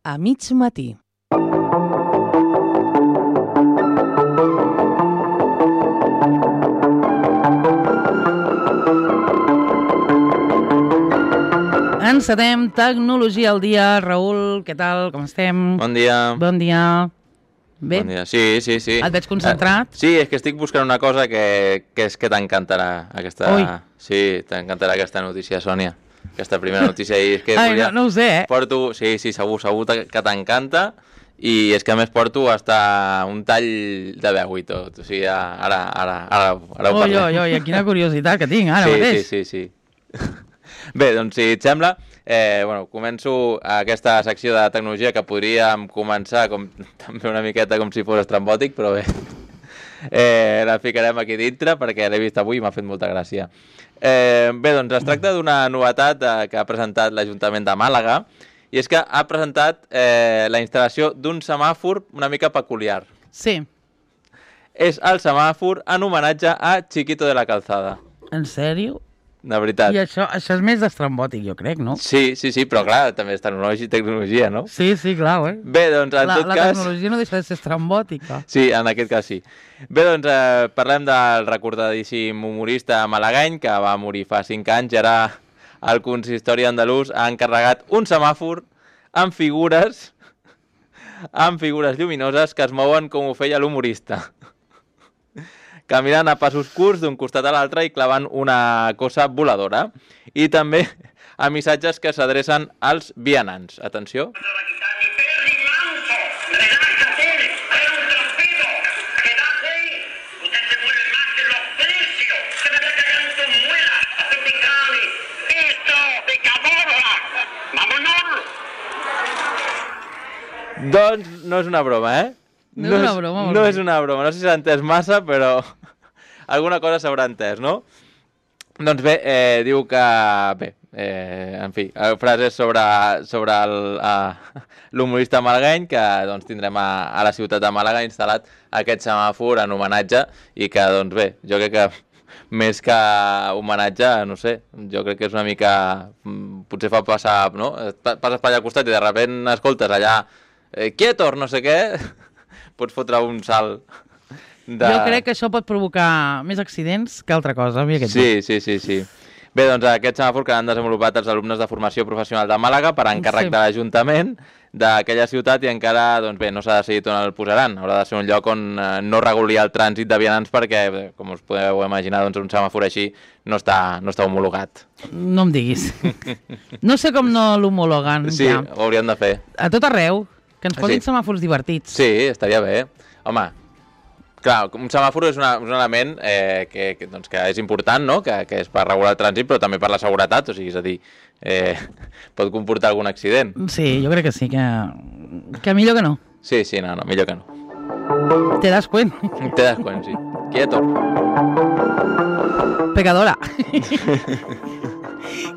a mig matí. Encetem Tecnologia al dia. Raül, què tal? Com estem? Bon dia. Bon dia. Bé? Bon dia. Sí. Et veig concentrat? Sí, és que estic buscant una cosa que és que t'encantarà aquesta... Ui. Sí, t'encantarà aquesta notícia, Sònia. Aquesta primera notícia. I és que Ai, no ho sé, Porto... Sí, segur que t'encanta. I és que a més porto hasta un tall de veu i tot. O sigui, ara ho parlem. Oi, quina curiositat que tinc ara mateix. Sí. Bé, doncs si et sembla, començo aquesta secció de tecnologia que podríem començar també una miqueta com si fos estrambòtic, però bé, la ficarem aquí dintre perquè l'he vist avui i m'ha fet molta gràcia. Bé, doncs es tracta d'una novetat que ha presentat l'Ajuntament de Màlaga i és que ha presentat la instal·lació d'un semàfor una mica peculiar. Sí. És el semàfor en homenatge a Chiquito de la Calzada. En sèrio? De veritat. I això és més d'estrambòtic, jo crec, no? Sí, però clar, també és tecnologia, no? Sí, clar, Bé, doncs, en tot cas... La tecnologia no deixa de ser estrambòtica. Sí, en aquest cas sí. Bé, doncs, parlem del recordadíssim humorista malagueny que va morir fa 5 anys i ara el consistori andalús ha encarregat un semàfor amb figures lluminoses que es mouen com ho feia l'humorista. Caminant a passos curts d'un costat a l'altre i clavant una cosa voladora. I també a missatges que s'adrecen als vianants. Atenció. Doncs no és una broma, No és una broma. No és una broma. No sé si s'ha entès massa, però alguna cosa s'haurà entès, no? Doncs bé, diu que... en fi, frases sobre l'humorista malagueny que doncs, tindrem a la ciutat de Màlaga instal·lat aquest semàfor en homenatge i que, doncs bé, jo crec que més que homenatge, no sé, jo crec que és una mica... Potser fa passar, no? Passes per allà al costat i de sobte escoltes allà quietos, no sé què... Pots fotre un salt de... Jo crec que això pot provocar més accidents que altra cosa. Sí. Bé, doncs aquest semàfor que han desenvolupat els alumnes de formació professional de Màlaga per encàrrec de l'Ajuntament d'aquella ciutat i encara, doncs bé, no s'ha decidit on el posaran. Haurà de ser un lloc on no reguli el trànsit de vianants perquè, com us podeu imaginar, doncs un semàfor així no està homologat. No em diguis. No sé com no l'homologuen. Sí, ja. Ho hauríem de fer. A tot arreu. Que ens posin semàfors divertits. Sí, estaria bé. Home, clar, un semàfor és un element que és important, no? Que és per regular el trànsit, però també per la seguretat, o sigui, és a dir, pot comportar algun accident. Sí, jo crec que sí, que millor que no. Sí, no, millor que no. Te das cuenta. Te das cuenta, sí. Quieto. Pecadora.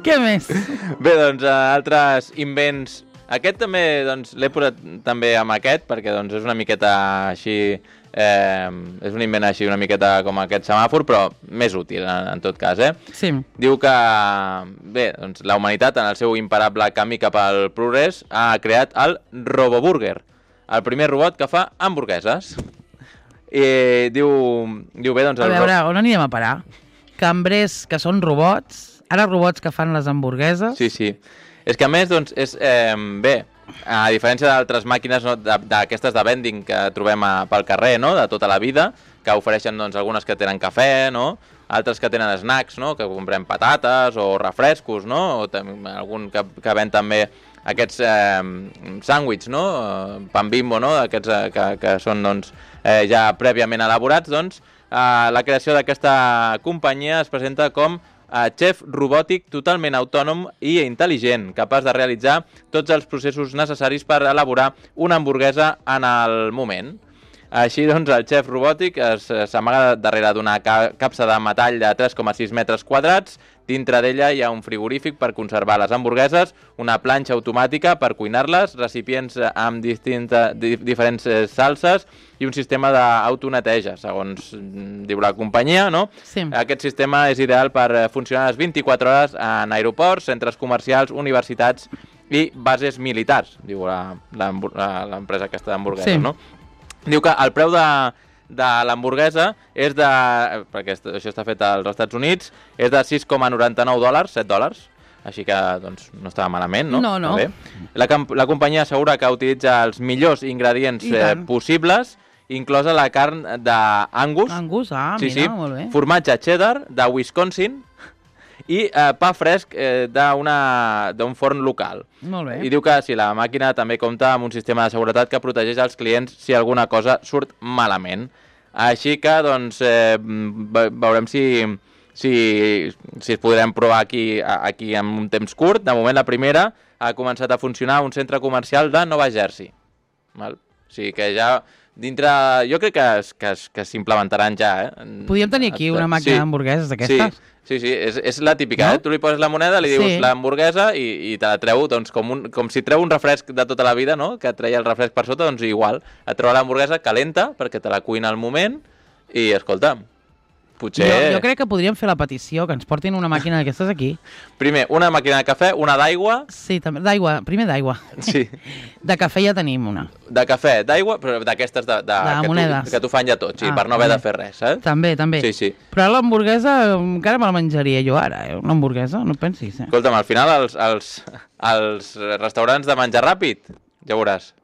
Què més? Bé, doncs, altres invents... Aquest també, doncs, l'he posat també amb aquest, perquè doncs, és una miqueta així, és un invent així una miqueta com aquest semàfor, però més útil en tot cas, Sí. Diu que, bé, doncs, la humanitat en el seu imparable camí cap al progrés ha creat el Roboburger, el primer robot que fa hamburgueses. I diu bé, doncs... A veure, on anirem a parar? Cambrers que són robots, ara robots que fan les hamburgueses... Sí. És que a més, doncs, és, bé, a diferència d'altres màquines, no, d'aquestes de vending que trobem pel carrer, no, de tota la vida, que ofereixen, doncs, algunes que tenen cafè, no, altres que tenen snacks, no, que comprem patates o refrescos, no, o algun que ven també aquests sàndwichs, no, pan Bimbo, no, aquests que són, doncs, ja prèviament elaborats, doncs, la creació d'aquesta companyia es presenta com xef robòtic totalment autònom i intel·ligent, capaç de realitzar tots els processos necessaris per elaborar una hamburguesa en el moment. Així, doncs, el xef robòtic s'amaga darrere d'una capsa de metall de 3,6 metres quadrats. Dintre d'ella hi ha un frigorífic per conservar les hamburgueses, una planxa automàtica per cuinar-les, recipients amb diferents salses i un sistema d'autoneteja, segons diu la companyia, no? Sí. Aquest sistema és ideal per funcionar les 24 hores en aeroports, centres comercials, universitats i bases militars, diu l'empresa aquesta d'hamburgueses, Sí. no? Diu que el preu de l'hamburguesa és de... perquè això està fet als Estats Units, és de $6,99, $7. Així que, doncs, no estava malament, no? No, no. Està bé. La companyia assegura que utilitza els millors ingredients possibles, inclosa la carn d'Angus. Angus, Sí, mira, molt bé. formatge cheddar de Wisconsin i pa fresc d'un forn local. Molt bé. I diu que la màquina també compta amb un sistema de seguretat que protegeix els clients si alguna cosa surt malament. Així que, doncs, veurem si es podrem provar aquí en un temps curt. De moment, la primera ha començat a funcionar a un centre comercial de Nova Jersey. Val? O sigui que ja dintre... Jo crec que s'implementaran ja, Podríem tenir aquí una màquina d'hamburgueses d'aquestes? Sí, és la típica, no? Tu li poses la moneda, li dius l'hamburguesa i te la treu, doncs, com si treu un refresc de tota la vida, no? Que et treia el refresc per sota, doncs igual. Et treu l'hamburguesa calenta perquè te la cuina al moment i, escolta, potser... Jo crec que podríem fer la petició, que ens portin una màquina d'aquestes aquí. Primer, una màquina de cafè, una d'aigua... Sí, també, d'aigua, primer d'aigua. Sí. De cafè ja tenim una. De cafè, d'aigua, però d'aquestes de monedes. que t'ho fan ja tot, sí, per no haver de fer res, eh? També. Sí. Però l'hamburguesa encara me la menjaria jo ara, una hamburguesa, no pensis, eh? Escolta'm, al final els restaurants de menjar ràpid, ja veuràs.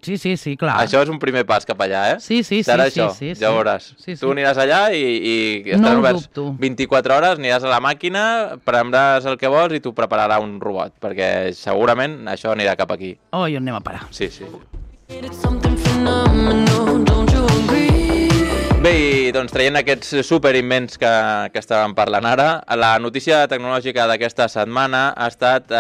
Sí, clar. Això és un primer pas cap allà, eh? Sí. Serà això, ja veuràs. Sí. Tu aniràs allà i estarà oberts 24 hores, aniràs a la màquina, prendràs el que vols i t'ho prepararà un robot, perquè segurament això anirà cap aquí. Oh, i on anem a parar? Sí. Bé, i doncs traient aquests superimmens que estàvem parlant ara, la notícia tecnològica d'aquesta setmana ha estat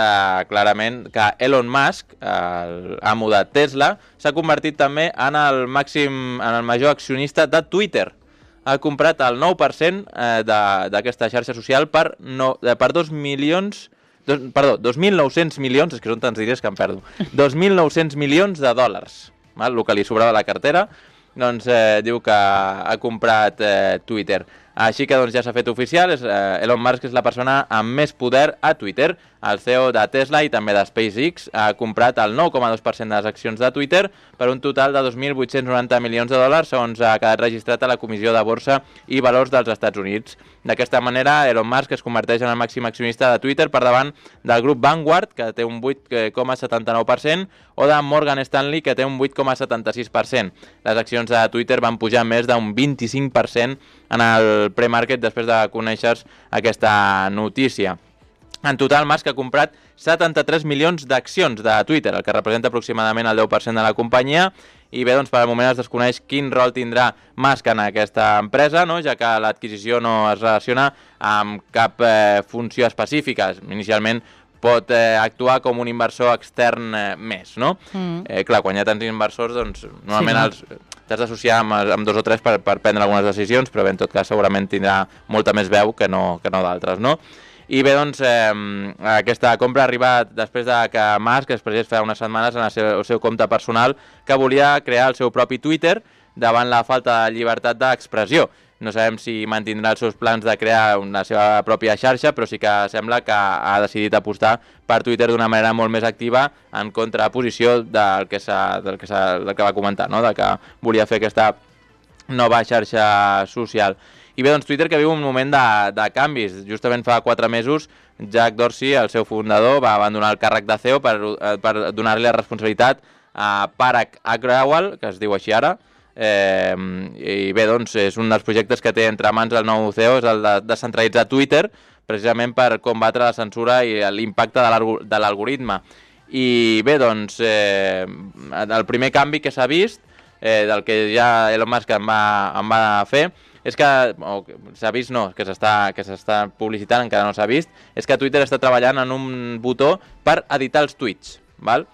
clarament que Elon Musk, l'amo de Tesla, s'ha convertit també en el major accionista de Twitter. Ha comprat el 9% d'aquesta xarxa social per 2.900 milions, és que són tants diners que em perdo, 2.900 milions de dòlars, el que li sobrava a la cartera. Doncs diu que ha comprat Twitter. Així que doncs, ja s'ha fet oficial, Elon Musk és la persona amb més poder a Twitter. El CEO de Tesla i també de SpaceX ha comprat el 9,2% de les accions de Twitter per un total de 2.890 milions de dòlars, segons ha quedat registrat a la Comissió de Borsa i Valors dels Estats Units. D'aquesta manera, Elon Musk es converteix en el màxim accionista de Twitter per davant del grup Vanguard, que té un 8,79%, o de Morgan Stanley, que té un 8,76%. Les accions de Twitter van pujar més d'un 25% en el pre-market després de conèixer aquesta notícia. En total, Musk ha comprat 73 milions d'accions de Twitter, el que representa aproximadament el 10% de la companyia, i bé, doncs per al moment es desconeix quin rol tindrà Musk en aquesta empresa, no? Ja que l'adquisició no es relaciona amb cap funció específica. Inicialment pot actuar com un inversor extern més, no? Clar, quan hi ha tants inversors, doncs normalment t'has d'associar amb dos o tres per prendre algunes decisions, però bé, en tot cas segurament tindrà molta més veu que no d'altres, no? I bé, doncs, aquesta compra ha arribat després de que Musk expressés fa unes setmanes en el seu compte personal que volia crear el seu propi Twitter davant la falta de llibertat d'expressió. No sabem si mantindrà els seus plans de crear la seva pròpia xarxa, però sí que sembla que ha decidit apostar per Twitter d'una manera molt més activa en contraposició del que va comentar, no? De que volia fer aquesta nova xarxa social. I bé, doncs Twitter que viu un moment de canvis. Justament fa 4 mesos, Jack Dorsey, el seu fundador, va abandonar el càrrec de CEO per donar-li la responsabilitat a Parag Agrawal, que es diu així ara. I bé, doncs és un dels projectes que té entre mans el nou CEO, és el de descentralitzar Twitter, precisament per combatre la censura i l'impacte de l'algoritme. I bé, doncs, el primer canvi que s'ha vist, del que ja Elon Musk en va fer, és que, s'ha vist no, que s'està publicitant, encara no s'ha vist, és que Twitter està treballant en un botó per editar els tuits, val?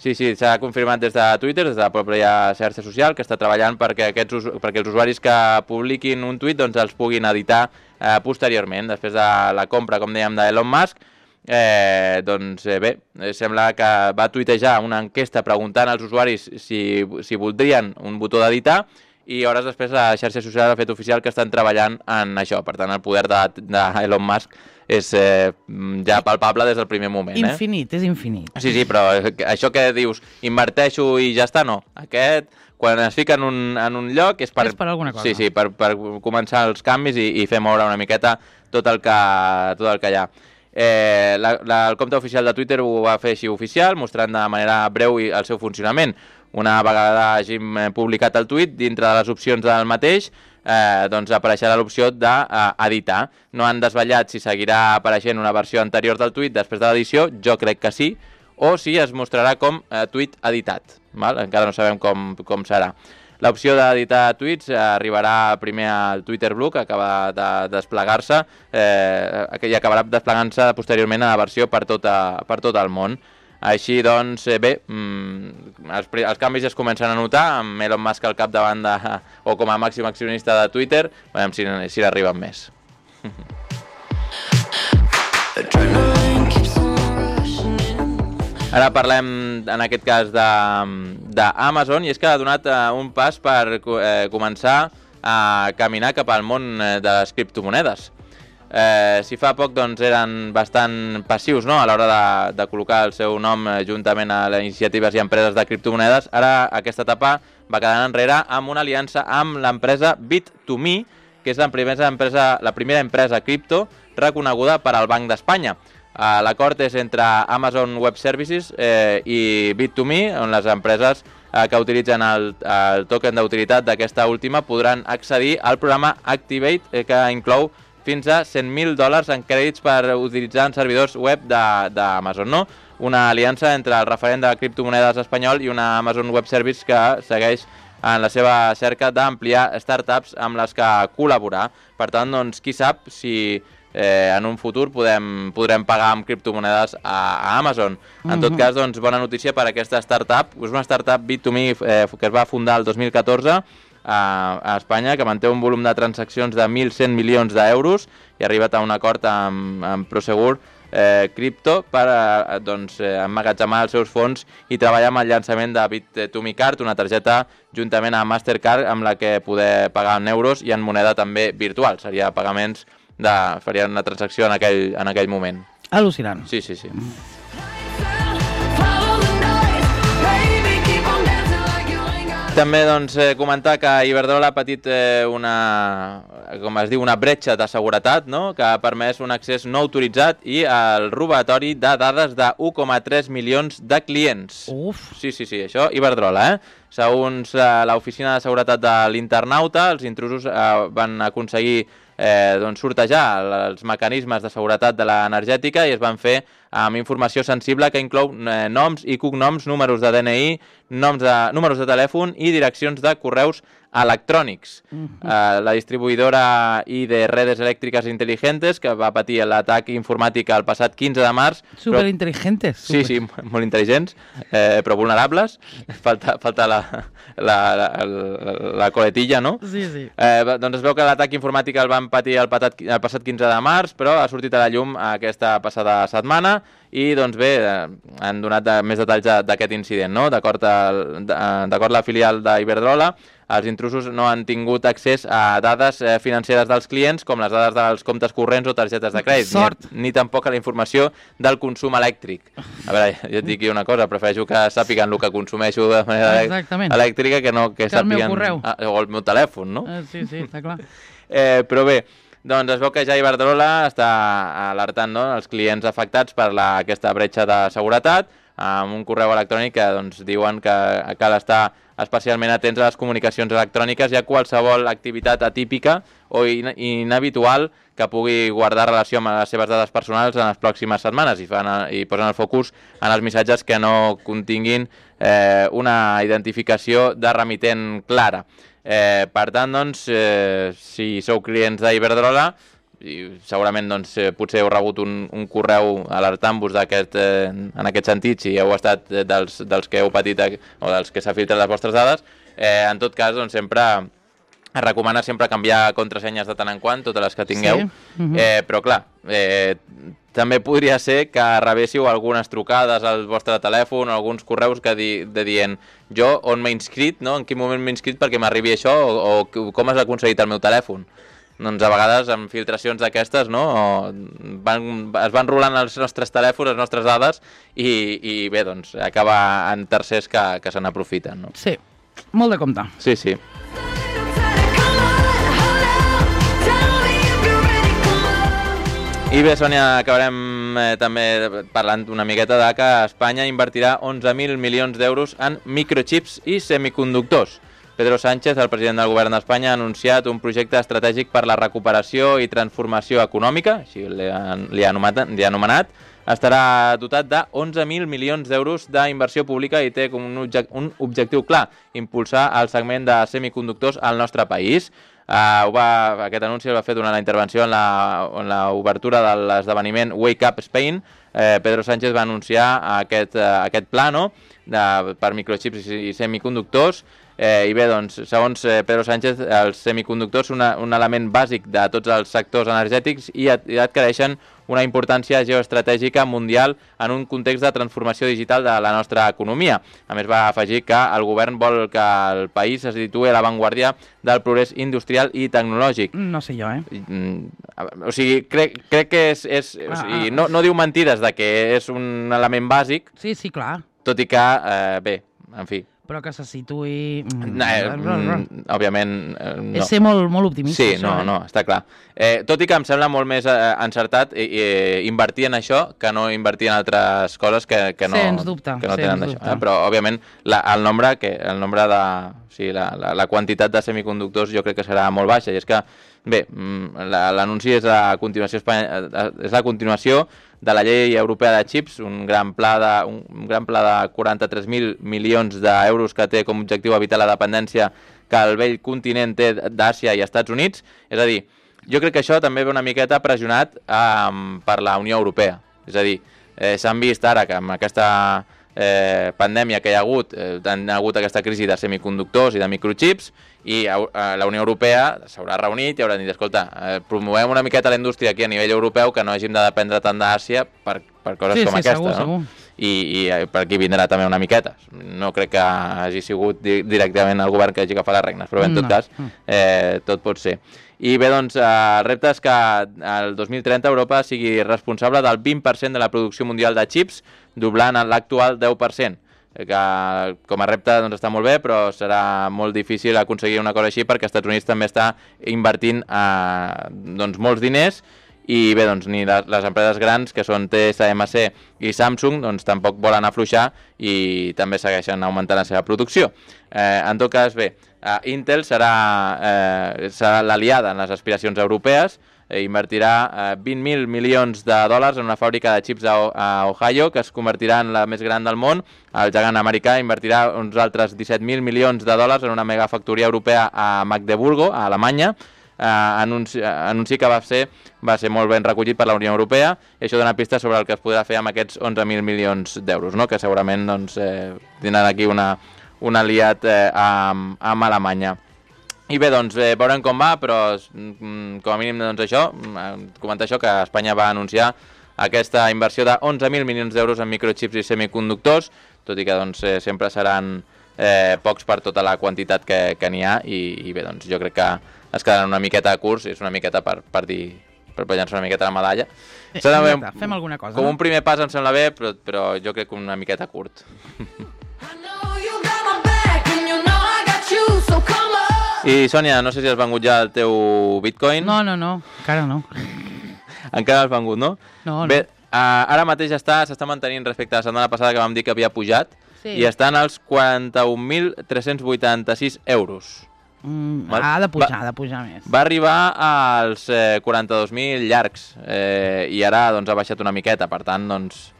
Sí, s'ha confirmat des de Twitter, des de la pròpia xarxa social, que està treballant perquè els usuaris que publiquin un tuit doncs els puguin editar posteriorment, després de la compra, com dèiem, d'Elon Musk. Doncs bé, sembla que va tuitejar una enquesta preguntant als usuaris si voldrien un botó d'editar, i hores després la xarxa social ha fet oficial que estan treballant en això. Per tant, el poder d'Elon Musk és ja palpable des del primer moment. Infinit, és infinit. Sí, però això que dius, inverteixo i ja està, no. Aquest, quan es fica en un lloc, és per alguna cosa. Sí, per començar els canvis i fer moure una miqueta tot el que hi ha. El compte oficial de Twitter ho va fer així oficial, mostrant de manera breu el seu funcionament. Una vegada hàgim publicat el tuit, dintre de les opcions del mateix, doncs apareixerà l'opció d'editar. No han desvetllat si seguirà apareixent una versió anterior del tuit després de l'edició, jo crec que sí, o si es mostrarà com tuit editat. Val? Encara no sabem com serà. L'opció d'editar tuits arribarà primer al Twitter Blue, que acaba de desplegar-se, i acabarà desplegant-se posteriorment a la versió per tot el món. Així doncs, bé, els canvis es comencen a notar, amb Elon Musk al capdavant o com a màxim accionista de Twitter, veurem si n'arriben més. Ara parlem, en aquest cas, d'Amazon, i és que ha donat un pas per començar a caminar cap al món de les criptomonedes. Si fa poc doncs, eren bastant passius, no?, a l'hora de col·locar el seu nom juntament a les iniciatives i empreses de criptomonedes, ara aquesta etapa va quedant enrere amb una aliança amb l'empresa Bit2Me, que és la primera empresa cripto reconeguda per al Banc d'Espanya. L'acord és entre Amazon Web Services i Bit2Me, on les empreses que utilitzen el token d'utilitat d'aquesta última podran accedir al programa Activate, que inclou fins a $100.000 en crèdits per utilitzar en servidors web d'Amazon, no? Una aliança entre el referent de criptomonedes espanyol i una Amazon Web Service que segueix en la seva cerca d'ampliar startups amb les que col·laborar. Per tant, doncs, qui sap si en un futur podrem pagar amb criptomonedes a Amazon. En tot cas, doncs, bona notícia per aquesta startup. És una startup Bit2Me que es va fundar el 2014 a Espanya, que manté un volum de transaccions de 1.100 milions d'euros i ha arribat a un acord amb Prosegur Crypto per emmagatzemar els seus fons i treballar amb el llançament de Bit2Me Card, una targeta juntament amb Mastercard amb la que poder pagar en euros i en moneda també virtual. Seria pagaments faria una transacció en aquell moment. Al·lucinant. Sí. També doncs, comentar que Iberdrola ha patit una bretxa de seguretat, no?, que ha permès un accés no autoritzat i el robatori de dades de 1,3 milions de clients. Uf! Sí, això, Iberdrola, Segons l'Oficina de Seguretat de l'Internauta, els intrusos van aconseguir sortejar els mecanismes de seguretat de l'energètica i es van fer amb informació sensible que inclou noms i cognoms, números de DNI, números de telèfon i direccions de correus electrònics. La distribuïdora I de Redes Elèctriques Inteligentes, que va patir l'atac informàtic el passat 15 de març... Superinteligentes. Sí, molt intel·ligents, però vulnerables. Falta la coletilla, no? Sí. Doncs es veu que l'atac informàtic el van patir el passat 15 de març, però ha sortit a la llum aquesta passada setmana i, doncs bé, han donat més detalls d'aquest incident, no? D'acord a la filial d'Iberdrola, els intrusos no han tingut accés a dades financeres dels clients, com les dades dels comptes corrents o targetes de crèdit, ni tampoc a la informació del consum elèctric. A veure, jo et dic una cosa, prefereixo que sàpiguen el que consumeixo de manera elèctrica que no que sàpiguen... El meu correu. O el meu telèfon, no? Sí, està clar. Però bé, doncs es veu que ja Iberdrola està alertant els clients afectats per aquesta bretxa de seguretat amb un correu electrònic que diuen que cal estar especialment atents a les comunicacions electròniques i a qualsevol activitat atípica o inhabitual que pugui guardar relació amb les seves dades personals en les pròximes setmanes i posen el focus en els missatges que no continguin una identificació de remitent clara. Per tant, si sou clients d'Iberdrola, segurament potser heu rebut un correu alertant-vos en aquest sentit, si heu estat dels que heu patit o dels que s'ha filtrat les vostres dades. En tot cas, sempre es recomana sempre canviar contrasenyes de tant en quant, totes les que tingueu, però clar, també podria ser que rebéssiu algunes trucades al vostre telèfon o alguns correus que dient jo on m'he inscrit, no? En quin moment m'he inscrit perquè m'arribi això o com has aconseguit el meu telèfon. Doncs a vegades amb filtracions d'aquestes, no? Es van rolant els nostres telèfons, les nostres dades i bé, doncs acaba en tercers que se n'aprofiten, no? Sí, molt de compte. Sí, sí. I bé, Sònia, acabarem també parlant una miqueta de que Espanya invertirà 11.000 milions d'euros en microchips i semiconductors. Pedro Sánchez, el president del govern d'Espanya, ha anunciat un projecte estratègic per la recuperació i transformació econòmica, així li ha anomenat. Estarà dotat de 11.000 milions d'euros d'inversió pública i té com un objectiu clar, impulsar el segment de semiconductors al nostre país. Aquest anunci el va fer durant la intervenció en l'obertura de l'esdeveniment Wake Up Spain. Pedro Sánchez va anunciar aquest pla, no?, per microchips i semiconductors. I bé, doncs, segons Pedro Sánchez, els semiconductors són un element bàsic de tots els sectors energètics i adquireixen una importància geoestratègica mundial en un context de transformació digital de la nostra economia. A més, va afegir que el govern vol que el país se situï a l'avantguàrdia del progrés industrial i tecnològic. No sé jo, O sigui, crec que no diu mentides de que és un element bàsic. Sí, clar. Tot i que, bé, en fi... Però que se situï... Òbviament, no. És ser molt optimista, sí, això. No, està clar. Tot i que em sembla molt més encertat invertir en això que no invertir en altres coses que no, sens dubte, que no tenen d'això. Però, òbviament, el nombre de... O sigui, la quantitat de semiconductors jo crec que serà molt baixa. I és que, bé, l'anunci és la continuació de la llei europea de xips, un gran pla de 43.000 milions d'euros que té com a objectiu evitar la dependència que el vell continent té d'Àsia i Estats Units. És a dir, jo crec que això també ve una miqueta pressionat per la Unió Europea. És a dir, s'han vist ara que amb aquesta pandèmia que hi ha hagut aquesta crisi de semiconductors i de microchips, i la Unió Europea s'haurà reunit i haurà dit, escolta, promovem una miqueta la indústria aquí a nivell europeu, que no hàgim de dependre tant d'Àsia per coses com aquesta. Segur. I per aquí vindrà també una miqueta. No crec que hagi sigut directament el govern que hagi agafat les regnes, però bé, en tot cas, tot pot ser. I bé, doncs, el repte és que el 2030 Europa sigui responsable del 20% de la producció mundial de xips, doblant l'actual 10%. Que com a repte doncs, està molt bé, però serà molt difícil aconseguir una cosa així perquè els Estats Units també està invertint doncs, molts diners i bé, doncs, ni les empreses grans, que són TSMC i Samsung, doncs, tampoc volen afluixar i també segueixen augmentant la seva producció. En tot cas, bé, Intel serà l'aliada en les aspiracions europees, invertirà 20.000 milions de dòlars en una fàbrica de xips a Ohio, que es convertirà en la més gran del món. El gegant americà invertirà uns altres 17.000 milions de dòlars en una megafactoria europea a Magdeburgo, a Alemanya. Anunci que va ser molt ben recollit per la Unió Europea, i això dona pistes sobre el que es podrà fer amb aquests 11.000 milions d'euros, no? Que segurament doncs, tindran aquí un aliat amb Alemanya. I bé, doncs, veurem com va, però com a mínim doncs, comentar això, que Espanya va anunciar aquesta inversió de 11.000 milions d'euros en microchips i semiconductors, tot i que doncs, sempre seran pocs per tota la quantitat que n'hi ha, i bé, doncs, jo crec que es quedaran una miqueta curts, és una miqueta per llançar una miqueta la medalla. Fem alguna cosa. Com un primer pas em sembla bé, però jo crec que una miqueta curt. I, Sònia, no sé si has vengut ja el teu Bitcoin. No, encara no. Encara has vengut, no? No. Bé, ara mateix s'està mantenint respecte a la setmana passada que vam dir que havia pujat, i estan als 41.386 euros. Ha de pujar més. Va arribar als 42.000 llargs, i ara doncs, ha baixat una miqueta, per tant, doncs...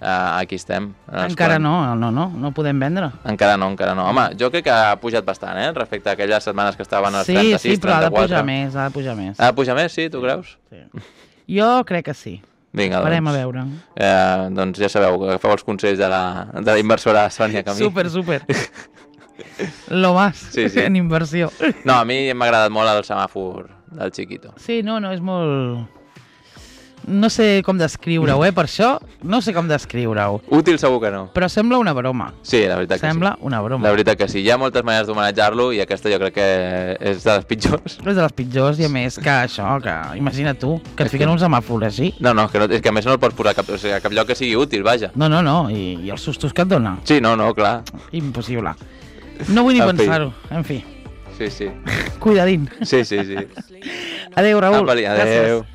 aquí estem. Encara no podem vendre. Encara no. Home, jo crec que ha pujat bastant, respecte a aquelles setmanes que estaven als 36, 34. Sí, però ha de pujar més. Ha de pujar més, sí, tu creus? Sí. Jo crec que sí. Vinga, farem a veure. Doncs ja sabeu, agafeu els consells de la inversora Sònia Camí. Super. Lo más en inversió. No, a mi m'ha agradat molt el semàfor del Chiquito. Sí, no, és molt... No sé com descriure-ho, per això no sé com descriure-ho. Útil segur que no. Però sembla una broma. Sí, la veritat que Sembla sí. una broma. La veritat que sí. Hi ha moltes maneres d'homenatjar-lo i aquesta jo crec que és de les pitjors. És de les pitjors i a més que això, que imagina tu, que et fiquen un semàfor així. No, és que a més no el pots posar a cap lloc que sigui útil, vaja. No, i els sustos que et dona. Sí, no, clar. Impossible. No vull ni pensar-ho, en fi. Sí. Cuidadín. Sí. Adéu, Raül. Adéu. Gràcies.